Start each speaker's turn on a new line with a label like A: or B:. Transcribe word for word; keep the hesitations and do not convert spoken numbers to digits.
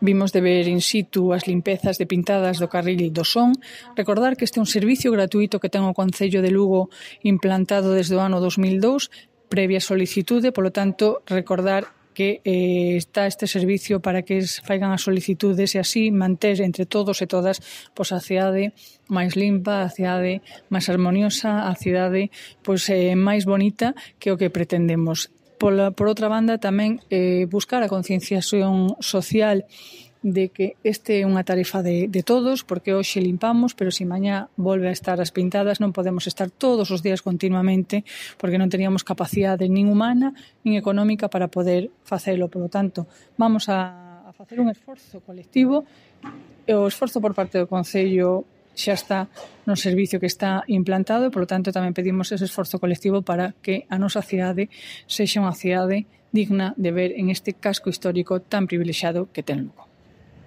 A: Vimos de ver in situ as limpezas de pintadas do carril do Son. Recordar que este é un servicio gratuito que ten o Concello de Lugo implantado desde o ano dos mil dous, previa solicitude, polo tanto, recordar que eh, está este servicio para que faigan as solicitudes e así manter entre todos e todas pois, a cidade máis limpa, a cidade máis armoniosa, a cidade pois, eh, máis bonita que o que pretendemos. Por, por outra banda, tamén eh, buscar a concienciación social de que este é unha tarefa de, de todos, porque hoxe limpamos, pero se mañá volve a estar as pintadas non podemos estar todos os días continuamente porque non teníamos capacidade nin humana nin económica para poder facelo. Por lo tanto, vamos a, a facer un esforzo colectivo e o esforzo por parte do Concello xa está no servicio que está implantado e, polo tanto, tamén pedimos ese esforzo colectivo para que a nosa cidade sexa unha cidade digna de ver en este casco histórico tan privilexiado que ten Lugo.